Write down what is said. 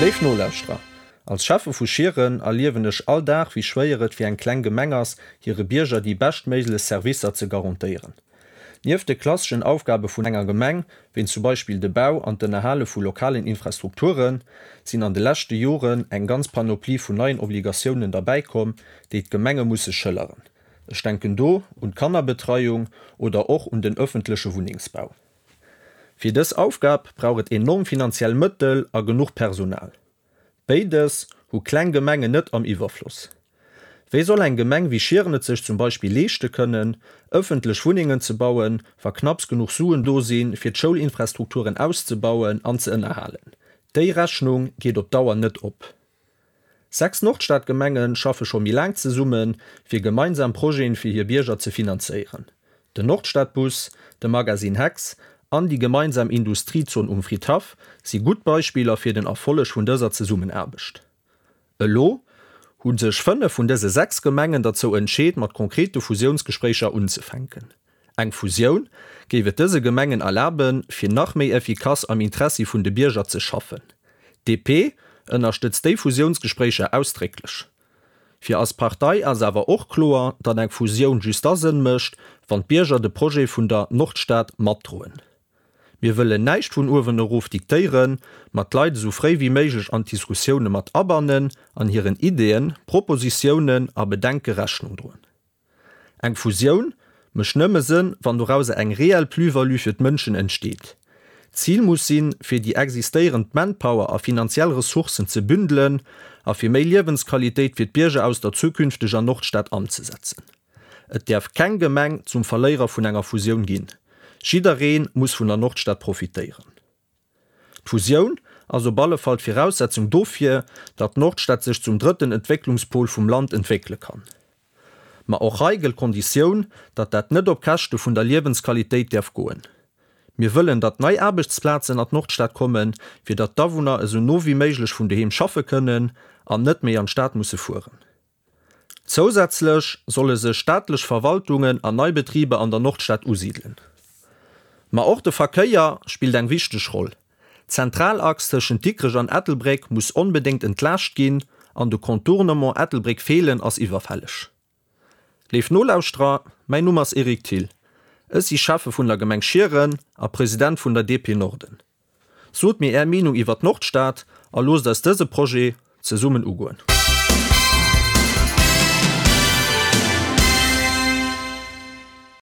Léif Nolauschterer, als Schäffe vu Schieren erliewen ech all Dag, wéi schwéier et fir eng kleng Gemeng ass, hire Bierger déi beschtméiglech Servicer ze garantéieren. Nieft de klasseschen Aufgabe vun enger Gemeng, wéi zum Beispill de Bau an d'Ënnerhale vu lokalen Infrastrukturen, sinn an de leschte Joren eng ganz Panoplie vun neien Obligatiounen derbäikomm, déi d'Gemenge musse schëlleren. Ech denken do un d'Kannerbetreiung oder och un den ëffentleche Wunnengsbau. Fir dës Aufgab brauch et enorm finanziell Mëttel a genuch Personal. Béides hu kleng Gemengen net am Iwwerfloss. Wéi soll eng Gemeng wéi Schieren et sech zum Beispill leeschte kënnen, ëffentlech Wunnengen ze bauen, wa knapps genuch Suen do sinn, fir d'Schoulinfrastrukturen auszebauen an ze ënnerhalen? Déi Rechnung geet op Dauer net op. 6 Nordstadgemenge schaffe scho méi laang zesummen, fir gemeinsam Projeten fir hir Bierger ze finanzéieren. Den Nordstadbus, de Magazine Hex an déi gemeinsam Industriezon um Fridhaff si gutt Beispiller fir den Erfolleg vun dëser Zesummenaarbecht. Elo hu sech 5 vun dëse 6 Gemengen derzou entscheet mat konkrete Fusiounsgespréicher unzefänken. Eng Fusioun géif et dëse Gemengen erlaben, fir nach méi effikass am Interessi vun de Bierger ze schaffen. DP ënnerstëtzt déi Fusiounsgespréicher ausdrécklech. Fir eis Partei ass awer och kloer, datt eng Fusioun just da Sënn mécht, wann d'Bierger de Projet vun der Nordstad matdroen. Mir wëllen näischt vun uewen erof diktéieren, ma d'Leit esou fréi wéi méiglech an d'Diskussioune mat abannen an hiren Ideeën, Propositiounen a Bedenke Rechnung droen. Eng Fusioun mécht nëmme Sënn, wann dorauser eng reell Plus-value fir d'Mënschen entsteet. D'Zil muss sinn, fir déi existéierend Manpower a finanziell Ressourcen ze bündelen a fir méi Liewensqualitéit fir d'Bierger aus der zukünfteger Nordstad anzesetzen. Et däerf keng Gemeng zum Verléierer vun enger Fusioun ginn. Jidderee muss vun der Nordstad profitéieren. D'Fusioun ass op alle Fall d'Viraussetzung dofir, datt d'Nordstad sech zum drëtten Entwécklungspol vum Land entwéckele kann. Ma och hei gëllt d'Konditioun, datt dat net op Käschte vun der Liewensqualitéit däerf goen. Mir wëllen, datt nei Aarbechtsplazen an d'Nordstad kommen, fir datt d'Awunner esou no wéi méiglech vun doheem schaffe kënnen an net méi an d'Stad musse fueren. Zousätzlech solle sech staatlech Verwaltungen an nei Betriber an der Nordstad usidelen. Ma och de Verkéier spillt eng wichteg Roll. D'Zentralachs tëschent Dikrech an Ettelbréck muss onbedéngt entlaascht ginn an de Contournement Ettelbréck-Feelen ass iwwerfälleg. Léif Nolauschterer, mäin Numm ass Eric Thill. Ech si Schäffe vun der Gemeng Schieren a President vun der DP Norden. Sot mir Är Meenung iwwer d'Nordstad a loosst eis dëse Projet zesummen ugoen.